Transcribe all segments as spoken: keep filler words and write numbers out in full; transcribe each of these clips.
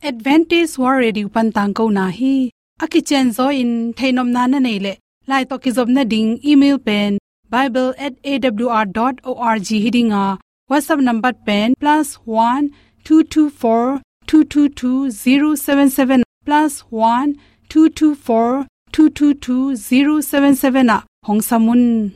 Adventist World Radio pan tangkona hi. A kicianzaw in theihnopna na neih leh, lai tawh kizopna ding email pen bible at A W R dot org hi ding a, WhatsApp number pen plus one two two four two two two zero seven seven, plus one two two four two two two zero seven seven ah hong sam un.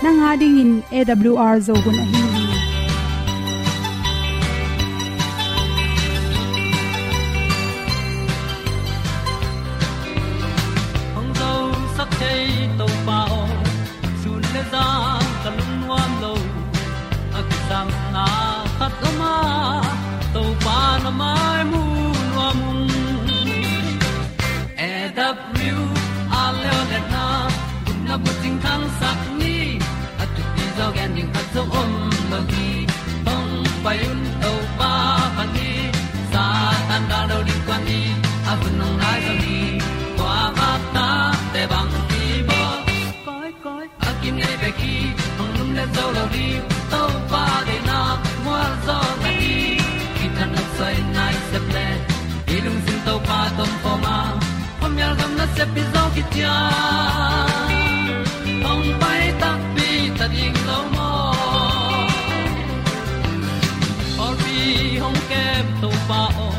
Nang a dingin A W R Zo hun ahi hi. Hong zosak thei Topa aw, sun le zan ka lungnuam lo. A kisapna khat om a, Topa na mai mu nuam ung. A W R Zo hun a, gupna bucing thangsak ni. A thupi zaw gen ding khat zong om lo hi. Hong pai un Topa phat ni. Satan gal lo ding kuan ni. A hun hong nai zo hi. Kua vak ta te bang hi bawl. Koi, koi, a kinei bek hi, hong lumlet zo lo ding. Topa deihna mual zaw na hi. Kithanuam soi nai sep le, i lungsim Topa tawh om khawm a, khuamial gam nasep hi zaw kician. Hong pai takpi ta ding lo maw. Pawlpi hong kem Topa aw,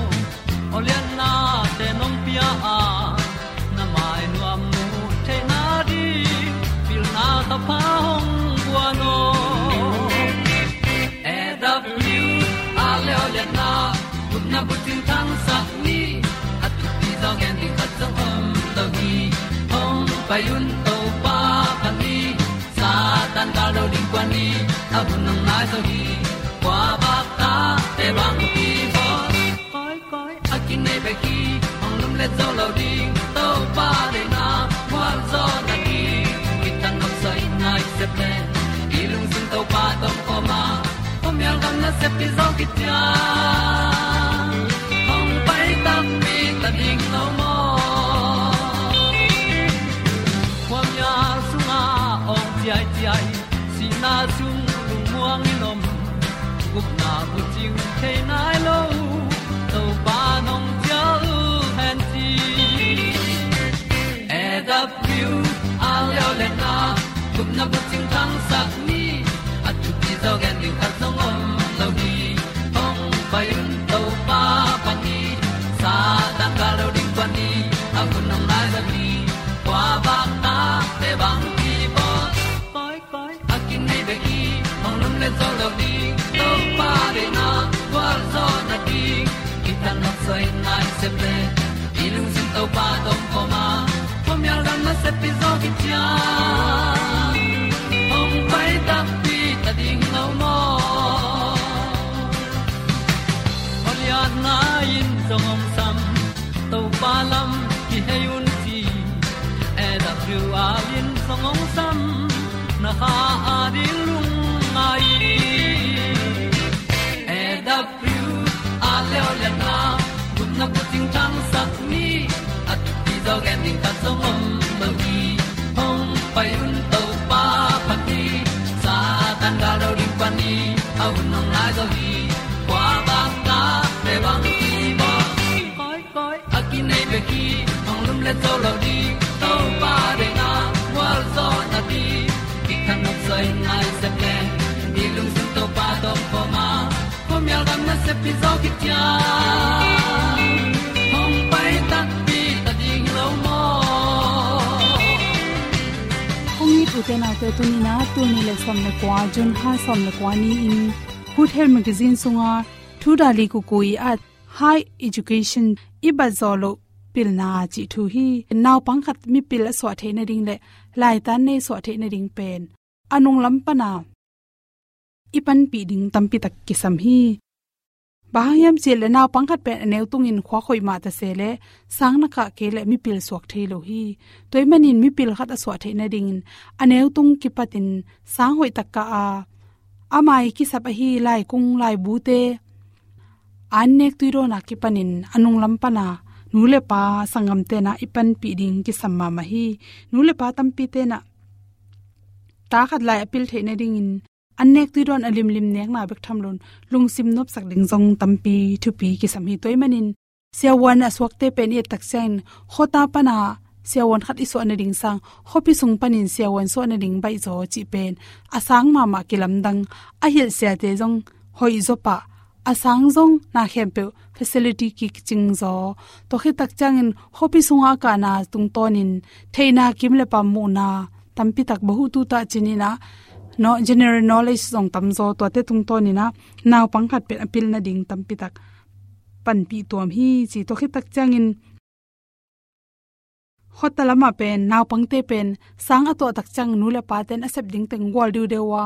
aw liannate nong pia a, na mai nuam mu theihna ding pilna thapha hong guan aw. A W R Zo hun a, gupna bucing thangsak ni. A thupi zaw gen ding khat zong om lo hi. Hong pai un Topa phat ni. Satan gal lo ding kuan ni. A hun hong nai zo hi. Kua vak ta te bang hi bawl. Koi, koi, a kinei bek hi, hong lumlet zo lo ding. Topa deihna mual zaw na hi. Kithanuam soi nai sep le, i lungsim Topa tawh om khawm a, khuamial gam nasep hi zaw kician. Hong pai takpi ta ding lo maw. Khuamial sungah awng ciaiciai, sihna sung lungmuang in om, gupna bucing thei nai lo, Topa nong cial hen ci. A W R Zo hun a, gupna bucing thangsak ni. A thupi zaw gen ding khat zong om lo hi. Hong pai un Topa phat ni. Satan gal lo ding kuan ni. A hun hong nai zo hi. Kua vak ta te bang hi bawl. Koi, koi, a kinei bek hi, hong lumlet zo lo ding. Topa deihna gualzawhna ding, kithanuam soi nai sep le, i lungsim Topa tawh om khawm a, khuamial gam nasep hi zaw kician. Hong pai takpi ta ding lo maw. Aw liatna in zong hong sam, Topa lam kihei un ci. A W R in zong hong sam, na kha a ding lungngai. A W R Zo hun a, gupna bucing thangsak ni. A thupi zaw gen ding khat zong om lo hi. Hong pai un Topa phat ni. Satan gal lo ding kuan ni. A hun hong nai zo hi. Kua vak ta te bang hi bawl. Koi, koi, a kinei bek hi, hong lumlet zo lo ding. Topa deihna gualzawhna ding, kithanuam soi nai sep le, i lungsim Topa tawh om khawm a, khuamial gam nasep hi zaw kician. Hong pai takpi ta ding lo maw. Kong it u te nau te, tuni in a, tul nih le sawm le kua, June kha sawm le kua ni-in Good Health Magazine sunga Thu Dali Kukui at High Education i bat zawh loh pilna cih thu hi. Naupang khat mipil a suah theih nading le laitan nei suah theih nading pen a nunglam pana i panpih ding tampi tak kisam hi. Bang hang hiam cih leh naupang khat pen a neu tungin khuak hoih mah ta se leh sang na kah kei leh mipil suak thei lo hi. Tua ahih manin mipil khat a suah theih nadingin a neu tung kipatin sang hoih tak kah a, ama ii kisap ahi laikung laibute an nek tui dawn a kipanin a nunglam pan a nu le pa sanggamte in i panpih ding kisam mahmah hi. Nu le pa tampite in ta khat lai a pil theih nadingin an nek tui dawn a limlim nekna bek tham loin lungsim nopsak ding zong tampi thupi kisam hi. Tua ahih manin siavuan a suakte pen i et tak ciangin khuata pan a siavuan khat i suah nading sang khuapi sung panin siavuan suah nading baih zaw cih pen a sang mahmah kilamdang, a hilh siate zong hoih zaw pah, a sang zong na khempeuh facility kicing zaw. Tua khit tak ciangin khuapi sungah a kahna tungtawnin theihna kim le pam muhna tampi tak bahutu tah cih in a, no, general knowledge zong tam zaw, tuate tungtawnin a naupang khat pen a pil nading tampi tak panpih tuam hi ci. Tua khit tak ciangin khuata lamah pen naupangte pen sang a tuah tak ciang nu le pate'n a sep ding teng gual diudeu a,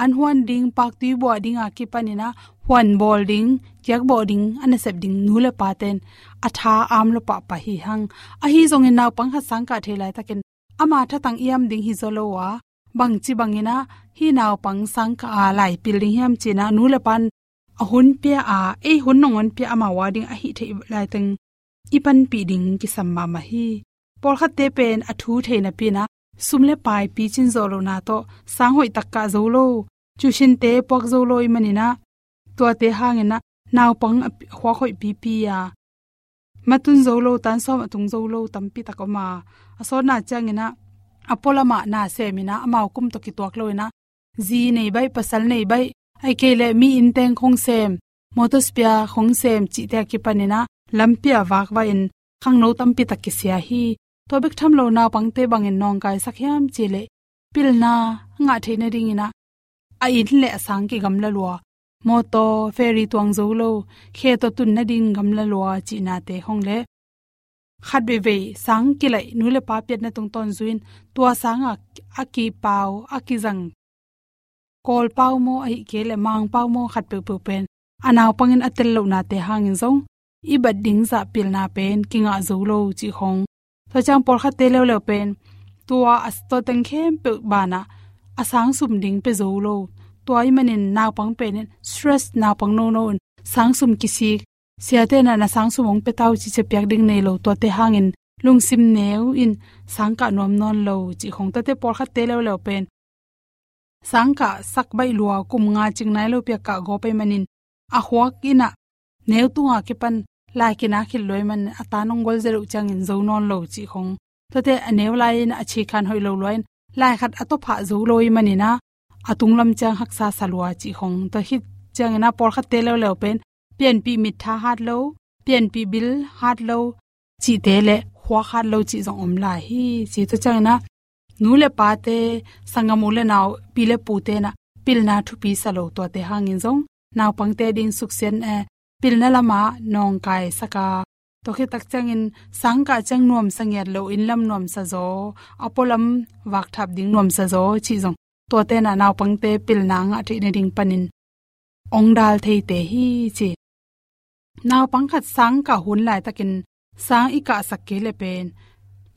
an huan ding, paktui buah ding a kipanin a huan bawl ding, kiak bawh ding a nasep ding nu le pate'n a tha am lua pahpah hi hang. Ahi zongin naupang khat sang kah thei laitakin ama thatang iam ding hi zaw lo a, bangci bangin a hih naupang sang kah a lai pil ding hiam ci-in a nu le pa'n a hun pia a, ei hun nong hon pia amau a ding a hih theih laiteng i panpih ding kisam mahmah hi. Pawlkhatte pen a thu thei napi-in a sum le pai picin zawh lohna tawh sang hoih tak kah zo lo, tuition-te puak zo lo ahih manin a, tuate hangin a naupang a pi-, khuak hoih pipi a, ma tun zo lo, tan sawm a tung zo lo tampi tak om a, a sawtna ciangin a, a pualam ah na semin a, amau kum tawh kituak loin a, zi nei baih, pasal nei baih, ahih kei leh mi innteng khong sem, motor spare khong sem cihte a kipanin a lampi ah vakvak in khangno tampi tak kisia hi. Tua bek tham lo naupangte bangin nawngkaisak hiam cih leh pilna ngah theih nadingin a, a inn le a sang kigamla lua, mawtaw, ferry tuang zo lo, khe tawh tun nading gamla lua cihnate khong le khat veivei sang kilaih nu le pa piatna tungtawn zui-in tua sang a, a kipau, a kizang Kawl pau maw, ahih kei leh Mang pau maw, khat peuhpeuh pen a naupangin a tel lohnate hangin zong i bat ding zah pilna pen kingah zo lo cih khong. Tua ciang pawlkhatte leuleu pen tua a, tua teng khempeuh banah a sang sum ding pia zo lo. Tua ahih manin naupang pen in stress, naupang nono in sang sum kisik, siate in a na sang sum hong pia ta uh cih ciang piak ding nei lo, tuate hangin lungsim neu in sang kah nuam nawn lo cih khong. Tuate pawlkhatte leuleu pen sang kah sak baih lua, kum nga cing nai lopi a kah gawp ahih manin a khuak in a neu tung a kipan lai kinak khit lua ahih manin a tan hong gualzia loh ciangin zo nawn lo cih khong. Tuate a neu lai-in a cikhan hoih lo lua-in lai khat a tawphah zo lo ahih manin a, a tunglam ciang haksa sa lua cih khong. Tua khit ciangin a pawlkhatte leuleu pen pianpih mittha hat lo, pianpih bil hat lo cihte le khuak hat lo cih zong om lai hi ci. Tua ciangin a nu le pate, sanggam u le nau, pi le pute in a pilna thupi sa lo, tuate hangin zong naupangte ding suksiat, eh, pilna lamah nawngkaisak a, tua khit tak ciangin sang kah ciang nuamsa ngiat lo, inn lam nuamsa zaw, a pualam vakthap ding nuamsa zaw cih zong tuate in a naupangte pilna ngah theih nading panin ong dal theite hi ci. Naupang khat sang kah hun laitakin sang i kahsak kei leh pen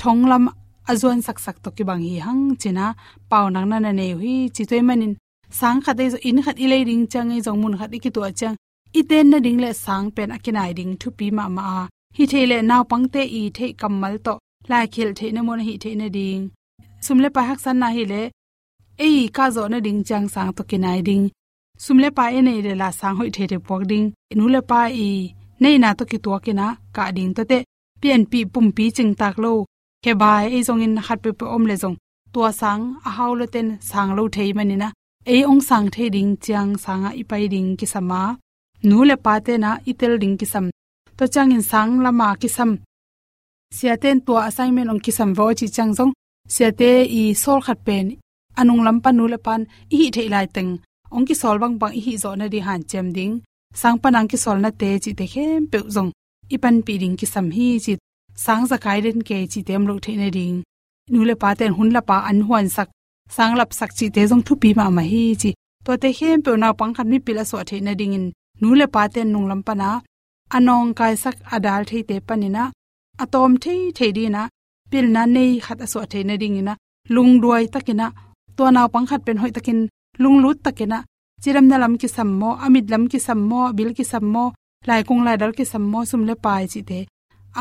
thonglam a zuan saksak tawh kibang hi hang ci-in a paunak na na nei uh hi ci. Tua ahih manin sang khat ei zong, inn khat i lei ding ciang ei zong, mun khat i kituah ciang i ten nading le sang pen a kinai ding thupi mahmah a, hi thei leh naupangte i theih kammal tawh lai khelh theihna mun a hih theih nading, sum le pai haksatna hi leh ei kah zawh nading ciang sang tawh kinai ding, sum le pai i neih leh la sang hoih theithei puak ding, nu le pa i neihna tawh kituakin a kah ding, tuate pianpih pumpi cingtak lo, khebai ei zongin khat peuhpeuh om leh zong tua sang a hau lote'n sang lo thei manin a, ei ong sang thei ding ciang sangah i pai ding kisam a, nu le pate'n a i tel ding kisam. Tua ciangin sang lama kisam, siate'n tua assignment ong kisam veh aw cih ciang zong siate i sawl khat pen a nunglam pan nu le pa'n i hih theih laiteng ong kisawl bangbang i hih zawh nading hanciam ding, sang pan a ong kisawlnate cihte khempeuh zong i panpih ding kisam hi ci. Sang zakai den kei cihte om loh theih nading, nu le pate'n hun lap a an huansak, sang lapsak cihte zong thupi mahmah hi ci. Tuate khempeuh naupang khat mipil a suah theih nadingin nu le pate nunglam pana a nawngkaisak a dal theite paninah a tawm thei thei dinah pilna nei khat a suah theih nadinginah lungduai takinah tua naupang khat pen hoih takin lunglut takinah cidamna lam kisam maw, a mit lam kisam maw, a bil kisam maw, laikung laidal kisam maw, sum le pai cihte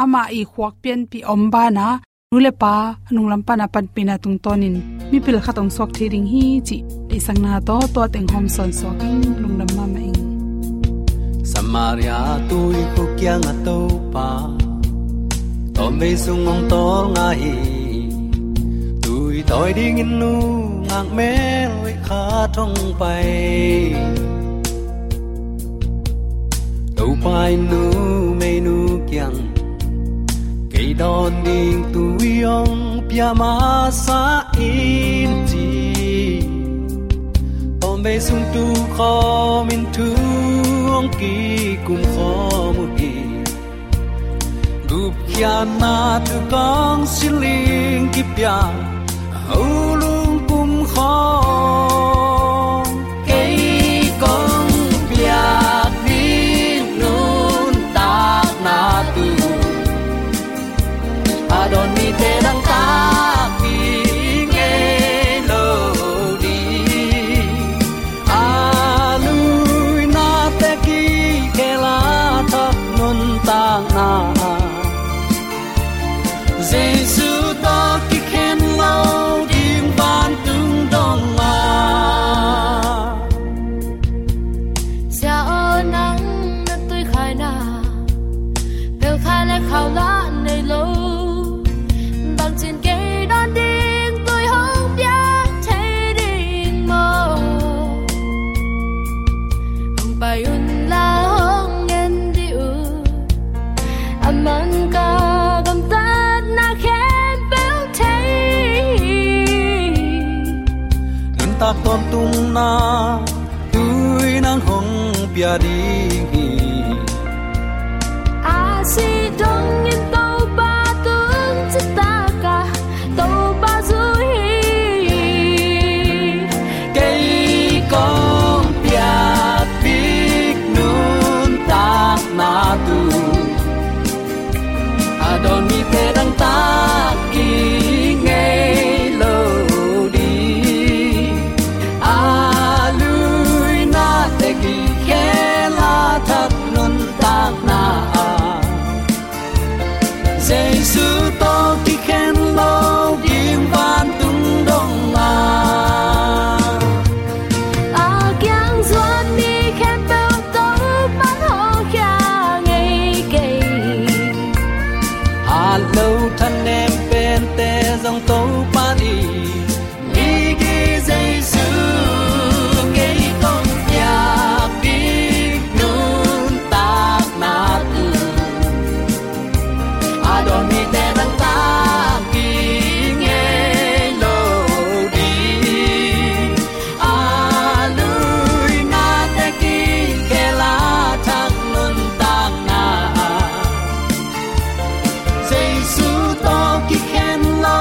amah i khuak pianpih om bana nu le pa a nunglam pana panpihna tungtawnin mipil khat hong suak thei ding hi cih deihsakna tawh tua teng hawm sawn suak in lungdam mahmah ing. Samaria tuikhuk kiangah Topa tawmvei sung hong tawlnga hi. Tui tawi dingin nungak mel veikhat hong pai. Topa in numeinu kiang kei dawn ding tui hong pia masa in ci. Tawmvei sung tu khawmin thu hong kikum khawm uh hi. Gupkhiatna thu kong siling kipia a ho lungpum khawng kei kong piak ding nuntakna tu a dawn mite dangtak ding ngei lo ding. A luina te kikhel a thak nuntakna Jesu tawh kikhen lo ding vantung dong a. Sia aw nang na tuikhaina pelkhai le khau la nei lo. Bangcin kei dawn ding tui hong piak thei ding maw? Hong pai un la hong en dih uh. A man ka gamtatna khempeuh thei. Nuntak tawntungna tui nang hong pia ding hi. A si dongin Topa tung citak a Topa zu hi. Kei kong piak bik nuntakna tu a dawn mite dangtak kik ngei lo ding. A luina te kikhel a thak nuntakna ah Jesu tawh kikhen lo ding vantung dong a. A kiang zuan mi khempeuh Topa'n hawlkhia ngei kei. Hat lo thanem pente zong Topa'n i migi Jesu kei kong piak ding nuntakna tu a dawn mite dangtak kik ngei lo ding. A luina te kikhel a thak nuntakna ah Jesu tawh kikhen lo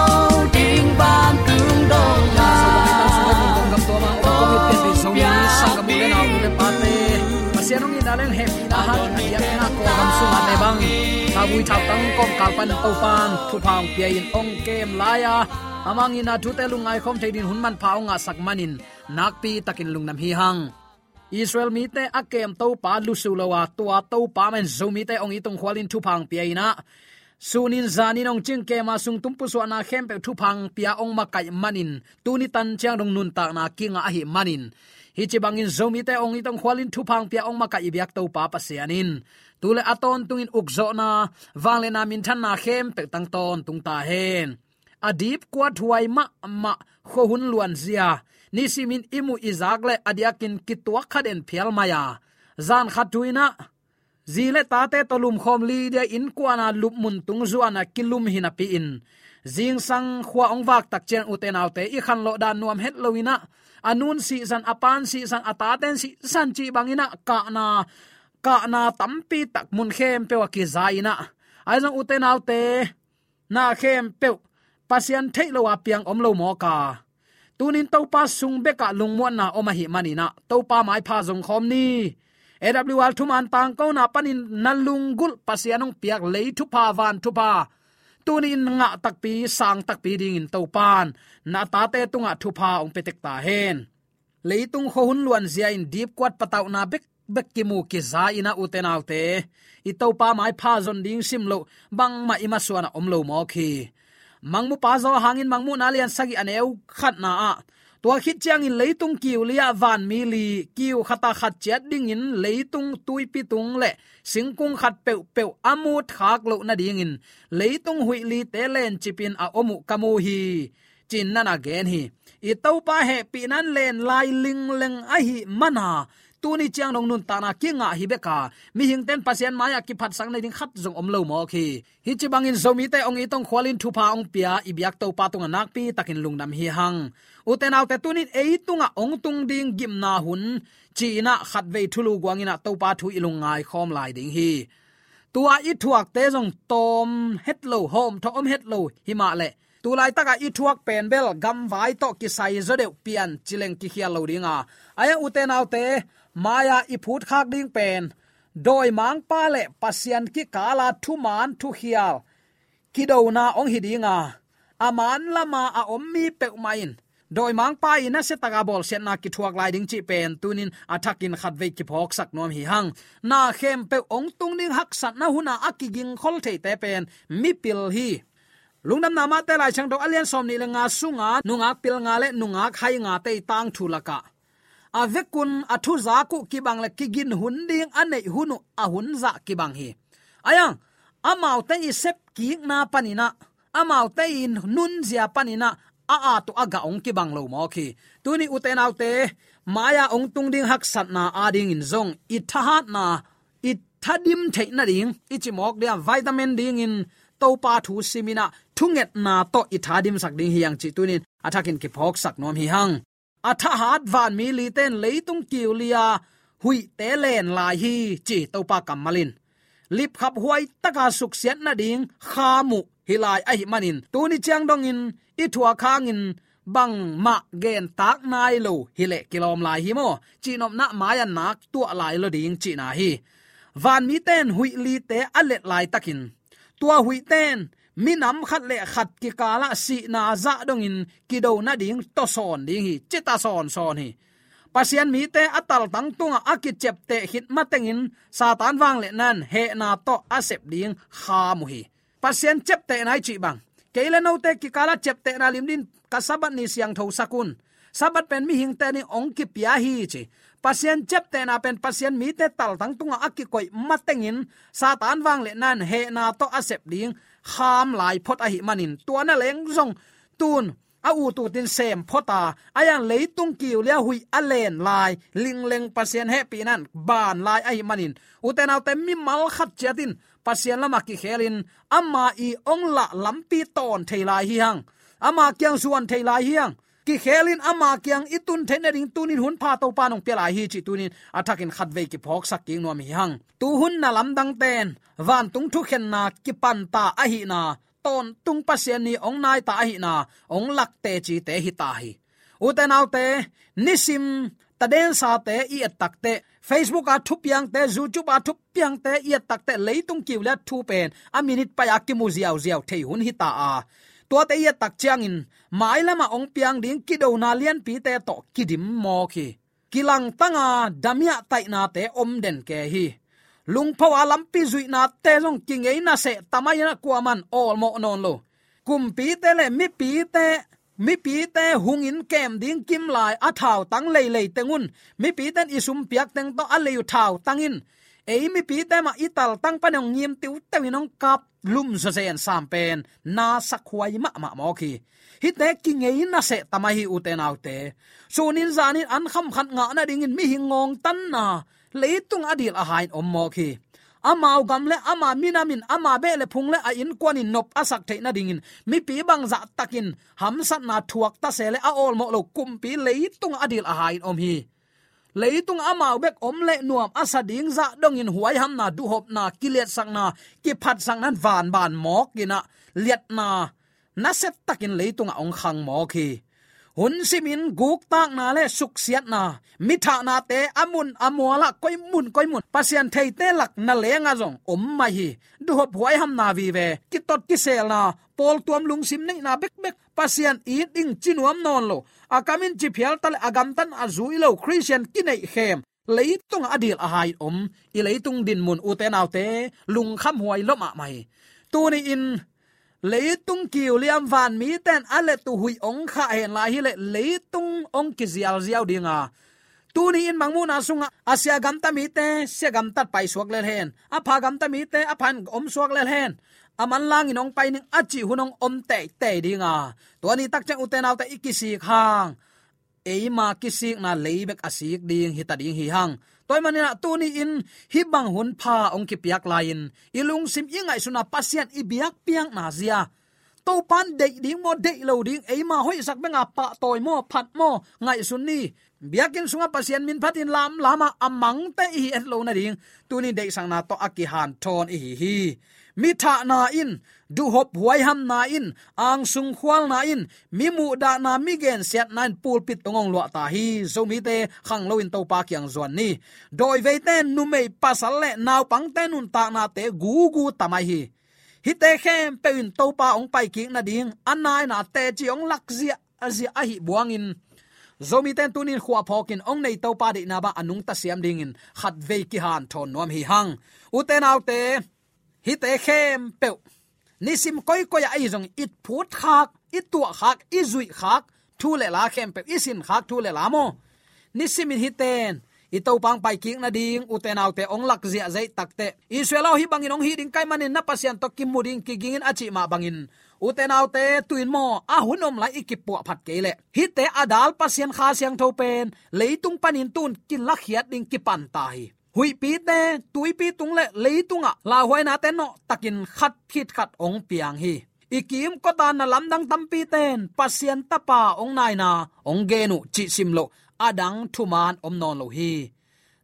ding vantung dong a. Pasian hong itna leng hehpihna, hat a diakna kawlgam sungah le bang thauvui thautang kawmkal pan Topa'n thupha hong pia-in hong kem lai-a, amah hong itna thute lungngai khawm thei dingin hun manpha hong ngahsak manin nakpi takin lungdam hi hang. Israel mite a kem Topa lusu lo a, tua Topa mah in Zomite hong it hong khualin thupha hong pia-in ah, sunin zanin hong cingkem a, sungtum pusuahna khempeuh thupha hong pia hong makaih manin, tuni tan ciang dong nuntakna kingah ahih manin, hih ci bangin Zomite hong it hong khualin thupha hong pia hong makaih i biak Topa Pasian in tu le a tawntungin ukzawhna, vangliatna, minthanna khempeuh tang tawntung ta hen. A dipkuathuai mahmah khuahun luanzia nisimin i muh i zak le a diakin kituak kha den phial mai a, zan khat thu-in ah zi le tate tawh lumkhawm lidia innkuan a lupmun tung zuan a kilum hi napi-in, zingsang khua hong vak tak ciang, ute naute, i khanlawh dan nuam het lo-in ah, a nu'n sihsan, a pa'n sihsan, a tate'n sihsan cih bangin ah kahna, kahna tampi tak mun khempeuh ah kiza-in ah, ahi zong, ute naute, na khempeuh Pasian theih lo a piang om lo mawk a, Tunin Topa sung bekah lungmuanna om ahih manin ah, Topa maipha zong khawm ni. A W R thuman tangkona panin na lunggulh Pasian hong piak lei thupha, van thupha, tuni-in ngah takpi, sang takpi dingin Topan na tate tungah thupha hong pia tek ta hen. Leitung khuahun luanzia in dipkuat patauhna bekbek kimu kiza in ah, ute naute, i Topa maipha zon ding simloh bangmah i masuanah om lo mawk hi. Mangmupa Johan in Mangmuhna lian sagih, a neu khatna ah, tua khit ciangin leitung kiu li-ah vanmi li, kiu khatah khat ciat dingin leitung tuipi tung le singkung khat peuhpeuh a mut khak loh nadingin leitung huih lite lencipin a om uh ka mu hi, ci-in na na gen hi. I Topa hehpihna in len lai lingleng ahih mana, tuni ciang dong nuntakna kingah hi bek a, mihingte'n Pasian mai-ah kiphatsak nading khat zong om lo mawk hi. Hih ci bangin Zomite hong it, hong khual in thupha hong pia i biak Topa tungah nakpi takin lungdam hi hang. Ute naute, tunin ei tungah hong tung ding gimna hun ci-in ah khatvei thulu guang in ah Topa thu i lungngai khawm lai ding hi. Tua i thuakte zong tawm het lo, hawmthawh om het lo hi mah leh, tu laitakah i thuak pen bel gamvai tawh kisai zaw deuh, pian ci leng kikhial lo ding a, ahi hang, ute naute, mai-ah i phutkhak ding pen dawimangpa le Pasian kikala thuman thukhial kidona hong hi ding a, a man lama a om mi peuhmah in dawimangpa i nasia taka bawlsiatna kithuak lai ding cih pen tunin a thakin khatvei kiphawksak nuam hi hang. Na khempeuh hong tung ding haksatna hun a a kigingkhol theite pen mipil hi. Lungdamna Mate Laisiangtho a lian sawmnih le nga sunga nungak pilnga le nungak haingate i tangthu lakah, a vekun a thuzak uh kibang le kigin hun ding a neih hun uh a hun zah kibang hi. Ahi hang, amaute i sepkikna panin ah, amaute i nunzia panin ah, a at uh a gah hong kibang lo mawk hi. Tuni, ute naute, mai-ah hong tung ding haksatna adingin zong i thahatna, i thadim theih nading i ci mawk dia, vitamin dingin Topa thu sim in ah thungetna tawh i thadimsak ding hi hang cih tunin a thakin kiphawksak nuam hi hang. A thahat vanmi lite'n leitung kiu li-a huihte len lai hi, ci Topa kammal in. Lipkhap huai taka suksiat nading kham uh hi lai ahih manin, tuni ciang dongin i thuak hangin bangmah gentak nai lo hi leh kilawm lai hi maw, cihnopna mai-ah nak tuah lai lo ding cihna hi. Vanmite'n huih lite a let laitakin, tua huihte in minam khat le khat kikalah sihna zah dongin kido nading tawsawn ding hi, ci ta sawnsawn hi. Pasian mite a taltang tungah a kiciapteh khit matengin Satan vangliatna in hehna tawh a sep ding kham uh hi. Pasian ciaptehna i cih bang, kei le note kikalah ciaptehna lim dingin ka Sabbath ni siangthosak un, Sabbath pen mihingte ading hong kipia hi, ci. Pasian ciaptehna pen Pasian mite taltang tungah a kikoih matengin Satan vangliatna in hehna tawh a sep ding kham lai phot ahih manin, tua na leng zong tun a ut utin sem phot a, ahi hang leitung kiu li-a huih a len lai, lingleng Pasian hehpihna in ban lai ahih manin, ute naute, mimal khat ciat in Pasian lamah kikhelin ama i hong lah lampi tawn thei lai hi hang. Ama kiang zuan thei lai hi hang. Kikhelin ama kiang i tun theih nading tunin hun pha Topa in hong pia lai hi, cih tunin a thakin khatvei kiphawksak kik nuam hi hang. Tuhun na lamdangte'n vantung thukhenna kipanta ahihna, tawntung Pasian ni hong nai ta ahihna hong lak tecite hi ta hi. Ute naute, nisim tadensate i et takteh, Facebook a thupiangte, YouTube a thupiangte i et takteh, leitung kiu li-a thu pen a minit pai-a kimu ziauziau thei hun hi ta a, tuate i et tak ciangin mailamah hong piang ding kidona lianpite tawh kidim mawk hi. Kilangtanga damiah taihnate om den kei hi. Lungpho a lampi zuihnate zong kingeina seh ta mai-in ah kuaman awlmawh nawn lo. Kumpite le mipite, mipite hungin kem ding kimlai a thautang leilei teng un, mipite'n i sum piak teng tawh a lei uh thautang in, ei mipite mah i taltang pan hong ngim tiuteu in hong kap lum zawzen sam pen na sakhuai mahmah mawk hi. Hihte kingeina seh ta mai hi, ute naute. Sunin zanin an kham khat ngah nadingin mihing ngawngtanna leitung a dil a ha in om mawk hi. Amau gam le ama minam in, ama beh le phung le a innkuan in nop a sak theih nadingin mipi bangzah takin hamsatna thuak ta se leh a awlmawh lo kumpi leitung a dil a ha in om hi. Leitung amau bek om leh nuam a sa ding zah dongin huaihamna, duhhopna, kiliatsakna, kiphatsakna in vanban mawk in ah, liatna nasia takin leitungah hong khang mawk hi. Hun simin guktakna le suksiatna, mithahnate a mun a mualah koi mun koi mun Pasian theite lak na lengah zong om mai hi. Duhop huaihamna vive, kitot kiselna, pawltuam lungsim neihna bekbek, Pasian it ding ci nuam nawn lo, a kamin ci phial ta le a gamtatna a zui lo Khristian kineihkhem, leitungah a dil a hai om i leitung dinmun, ute naute, lungkhamhuai lua mahmah hi. Tuni-in leitung kiuliam vanmiten a let uh huih ong khah hen lai hileh leitung ong kizialziau dinga, tuni-in mangmuhna sungah a sia gamta mite sia gamtat paisuak lel hen, a pha gamta mite a phan omsuak lel hen, a manlangin ong pai ning a cih hun ong om teitei dinga, tua ni takciang ute naute i kisik hang eima kisikna lei bek a sik ding hita ding hi hang. Tua ahih maninah tuni-in hih bang hun pha ong kipiak lai-in i lungsim i ngaihsutna Pasian i biakpiakna zia, Topan deih ding maw, deih lo ding, eima hoihsak benga pahtawi maw, phat maw, ngaihsun ni. Biakinn sungah Pasian min phatin lamlama a mangte i hi et lo nading tuni deihsakna tawh a kihanthawn i hi hi. Mithahna in, duhop huaihamna in, angsung khualna in, mi muhdahna, mi gensiatna in pulpit tungah ong luah ta hi. Zomite khanglo in Topa kiang zuan ni. Dawiveite numei pasal le naupangte nuntaknate gugu ta mai hi. Hihte khempeuh in Topa ong paikik nading a naina teci ong lakzia a zia ahih buangin, Zomite in tunin khuaphawkin ong nei Topa deihna bang a nungta siam dingin khatvei kihanthawn nuam hi hang. Ute naute, hihte khempeuh nisim koikoi ah ahi zong i phutkhak, i tuahkhak, i zuihkhak thu le la khempeuh, i sinkhak thu le la maw, nisimin hihte in i Topa ong paikik nading, ute naute, ong lakzia zeih takteh, Israel aw, hih bangin ong hih ding ka hih manin na Pasian tawh kimu ding, kigingin a cih mah bangin, ute naute, tu-in maw, a hun om lai i kipuahphat kei leh hihte a dal Pasian Kha Siangtho pen leitung panin tu-in kilakhiat ding kipan ta hi. Huihpite, tuipi tung le leitungah lauhuainate nawhtakin khat khit khat ong piang hi. I kimkota na lamdang tampite in Pasian Tapa ong naina ong gen uh cih sim loh a dang thuman om nawn lo hi.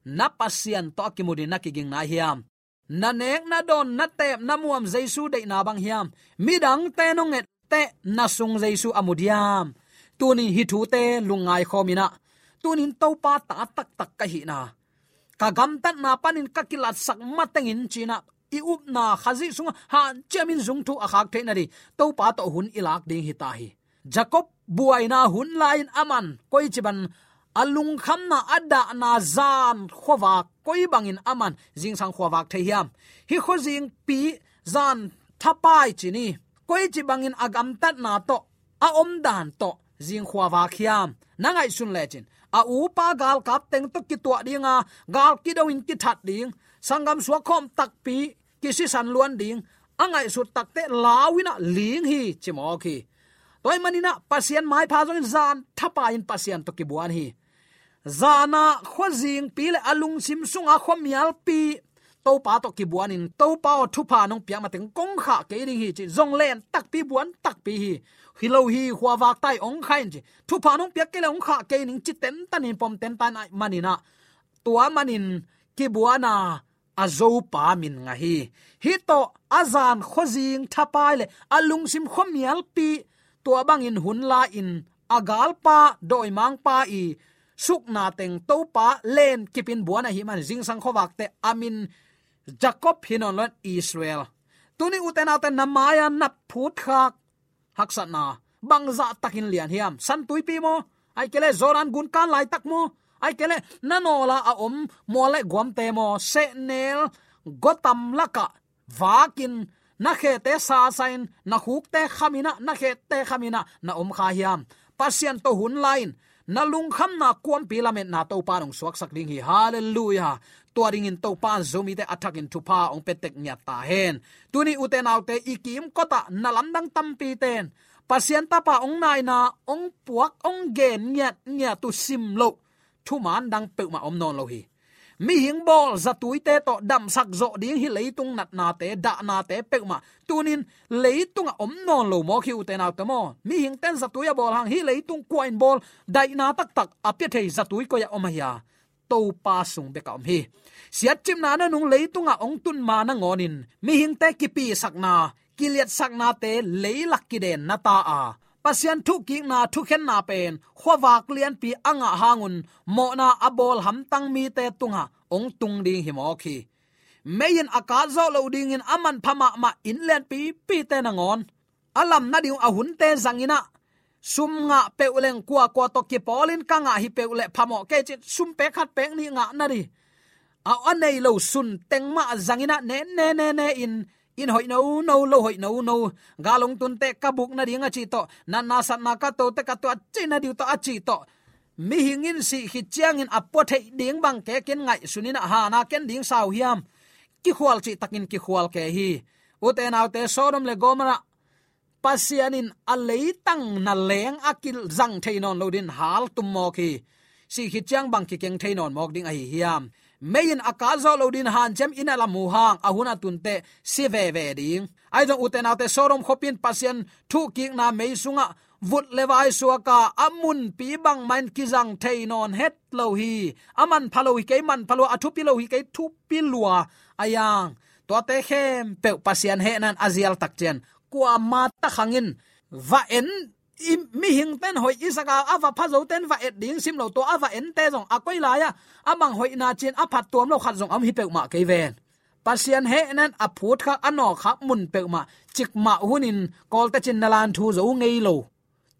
Na Pasian tawh a kimu ding na kiging nai hiam? Na nek, na dawn, na teep, na muam Jesu deihna bang hiam? Midangte nong etteh na sung Jesu a mu diam? Tunin hih thute lungngai khawm inah, tunin Topa ta taktak ka hihna, ka gamtatna panin ka kilatsak matengin ci-inah i upna Khazih sungah hanciamin zungthu a khak theih nading Topa tawh hun i lak ding hi ta hi. Jacob buaina hun lai-in aman koici bang a lungkhamna, a dahna zan khuavak koi bangin aman zingsang khuavak thei hiam? Hih khuazingpi zan thapai ci ni. Koici bangin a gamtatna tawh, a omdan tawh zing khuavak hiam? Na ngaihsun lecin a upa galkap teng tawh kituah dinga, gal kido-in kithat ding, sanggam suak khawm takpi kisisan luan ding a ngaihsut takteh lau inah ling hi, ci mawk hi. Tua ahih maninah Pasian maipha zongin zan thapai-in Pasian tawh kibuan hi. Zanah khuazingpi le a lungsim sunga khuamialpi Topa tawh kibuanin, Topa aw, thupha nong piak mateng kong khah kei ding hi, ci. Zong len takpi, buan takpi hi. Hi lo hi, khuavak tai, ong khah in, ci. Thupha nong piak kei le ong khah kei ning, ci tentan in pom tentan ahih maninah, tua manin kibuana a zopa min ngah hi. Hih tawh a zan khuazing thapai le a lungsim khuamialpi, tua bangin hun la-in a galpa, dawimangpa i sukna teng Topa len kipin buan ahih man zingsang khuavakte a min Jacob hi nawn lo-in Israel. Tuni ute naute, na mai-a na phutkhak haksatna bangzah takin lian hiam? San Tuipi maw? Ahih kei leh Jordan gun kan laitak maw? Ahih kei leh na nawla a om mual le guamte maw? Sehnel guatam lakah vakin na khete sasa-in, na khukte khaminah, na khete khaminah na om kha hiam? Pasian tawh hun la-in na lungkhamna kuampi lametna Topa in ong suaksak ding hi. Halleluiah. Tua dingin Topa in Zomite a thakin thupha ong pia tek ngiat ta hen. Tuni ute naute, i kimkotah na lamdang tampite in Pasian Tapa ong naina, ong puak, ong gen ngiatngiat uh sim loh thuman dang peuhmah om nawn lo hi. Mihing bawl zatuite tawh damsak zawh ding hih leitung natnate, dahnate peuhmah tunin leitungah om nawn lo mawk hi, ute naute maw. Mihingte in zatui a bawl hang, hih leitung kua in bawl, daihna taktak a pia thei zatui koi-ah om ahi a? Topa sung bekah om hi. Siatcipna nanung leitungah ong tun ma nangawnin mihingte kipisakna, kiliatsaknate leilak kidenna ta a, Pasian thukikna, thukhenna pen khuavak lianpi a ngah hangun mawhna a bawl hamtang mite tungah hong tung ding hi mawk hi. Mei in a katzawh loh dingin a manpha mahmah inn lianpipite nangawn a lam nading uh a hunte zangin ah, sum ngah peuh leng kuakua tawh kipawlin ka ngah hi peuh leh phamawh kei cin, sum pek khat pek nih ngah nading a, a nei lo sun teng mah zangin ah, ne ne ne ne in, inn hoih nono, lo hoih nono, gal hong tunte ka buk nading a cih tawh, natna satna ka tote ka tuah cih nading uh tawh a cih tawh, mihing in sih khit ciangin a pua theih ding bang kekin ngaihsun in ah, hana ken ding sau hiam? Kikhual cihtakin kikhual kei hi. Ute naute, Sodom le Gomorrah Pasian in a leitang na leng a kizang thei nawn lo dingin hal tum mawk hi. Sih khit ciang bang kikeng thei nawn mawk ding ahi hiam? Mei in a katzawh loh dingin hanciam in a lam uh hang, a hun a tunte si veve ding. Ahi zong ute naute, Sodom khuapi in Pasian thukikna mei sungah vut le vai suak a, a munpi bangmah in kizang thei nawn het lo hi. A manpha lo hi kei, manpha lua, a thupi lo hi kei, thupi lua a yang. Tuate khempeuh Pasian hehna in a zial tak ciang, kuama takhang in va en, i mihingte'n hoih i sak a, a va pha zote'n va et ding sim lo, tua a va ente zong a koi lai-ah a bang hoihna cin a phattuam lo khat zong a om hi peuhmah kei ven. Pasian hehna in a phutkhak, a nawkkhak mun peuhmah cikmah hunin, Kawlte cin na lan thu zo ngei lo.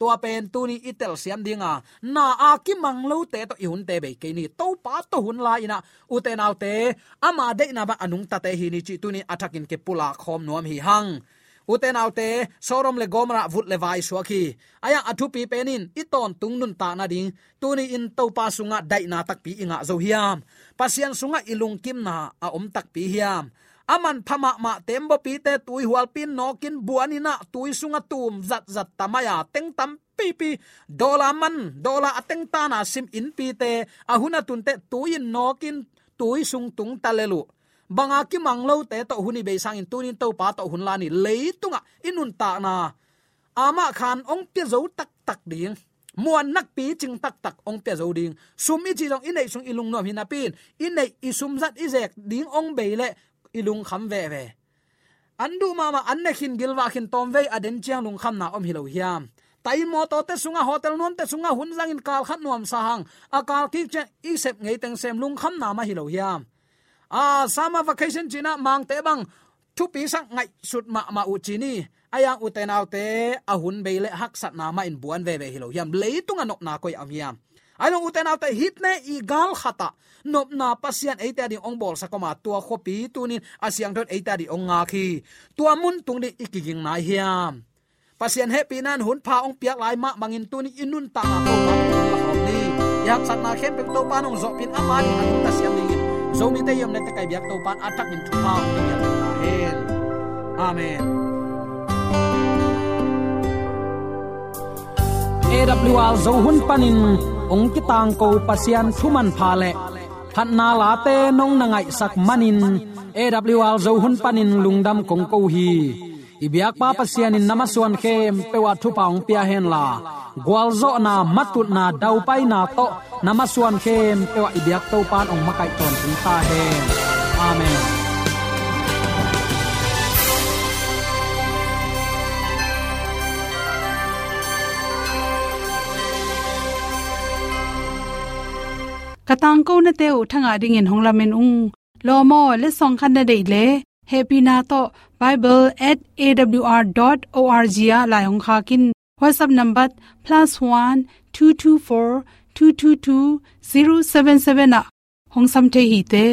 Tua pen tuni i telsiam ding a, na a kimang lote tawh i hunte bei kei ni. Topa tawh hun la in ah, ute naute, ama deihna bang a nungtate hi ni cih tuni a thakin kipulak khawm nuam hi hang. Ute naute, Sodom le Gomorrah vut le vai suak hi. A yang a thupi pen in i tawntung nuntak nading, tuni in Topa sungah daihna takpi i ngah zo hiam? Pasian sungah i lungkimna a om takpi hiam? A manpha mahmah teembawpite tui hualpi in nawkin buan in ah, tui sungah tum zatzat tamai a, teng tampipi, dollar man, dollar a teng tana sim innpite, a hun a tunte tui in nawkin tui sung tung ta lel uh. Bang a kimang lote tawh hun i bei sangin tuni in Topa tawh hun la ni. Leitungah i nuntakna amah khan hong pia zo taktak ding. Muannak picing taktak hong pia zo ding. Sum i cih zong i neih sung i lungnuam hi napi in, i neih i sum zat i zek ding hong bei leh i lungkham veve. An duh mahmah, an ne khin, gilvah khin, tawmvei a den ciang lungkhamna om hi lo hiam? Taimawtawte sungah, hotel nuamte sungah hun zangin kal khat nuamsa hang, a kal kik ciang i sep ngei teng sem, lungkhamna mah hi lo hiam? A, summer vacation ci-in ah Mangte bang thupi sak ngaihsut mahmah uh ci ni. A yang ute naute, a hun bei leh haksatna mah in buan veve hi lo hiam? Leitung a nopna koi a om hiam? Ahi zong ute naute, hihte i gal khatah nopna Pasian eite a ding hong bawlsak om a, tua khuapi tuni in a siangtho in eite a ding hong ngak hi. Tua mun tung ding i kiging nai hiam? Pasian hehpihna in hun pha hong piak lai mah bangin tuni in i nuntakna Topa in hong lak om ni. I haksatna khempeuh Topa in hong zawhpih in, ama ding a nungta siam dingin Zomite i omna teng kai biak Topa in a thakin thupha hong pia ta hen. Amen. A W R Zo hun panin hong kitangko Pasian thu manpha le phatna late nong na ngaihsak manin, A W R Zo hun panin lungdam kong ko hi. I biakpa Pasian in na masuan khempeuh ah thupha hong pia henla, gualzawhna, matutna, daupaina tawh na masuan khempeuh ah i biak Topa in hong makaih tawntung ta hen. Amen. Ka tangkonate uh thangah dingin hong lamen ung. Lawm aw, letsong khat na deih leh, hehpihna tawh bible at A W R dot O R G ah lai hong khak in. WhatsApp number plus one two two four two two two zero seven seven ah hong sam thei hi te.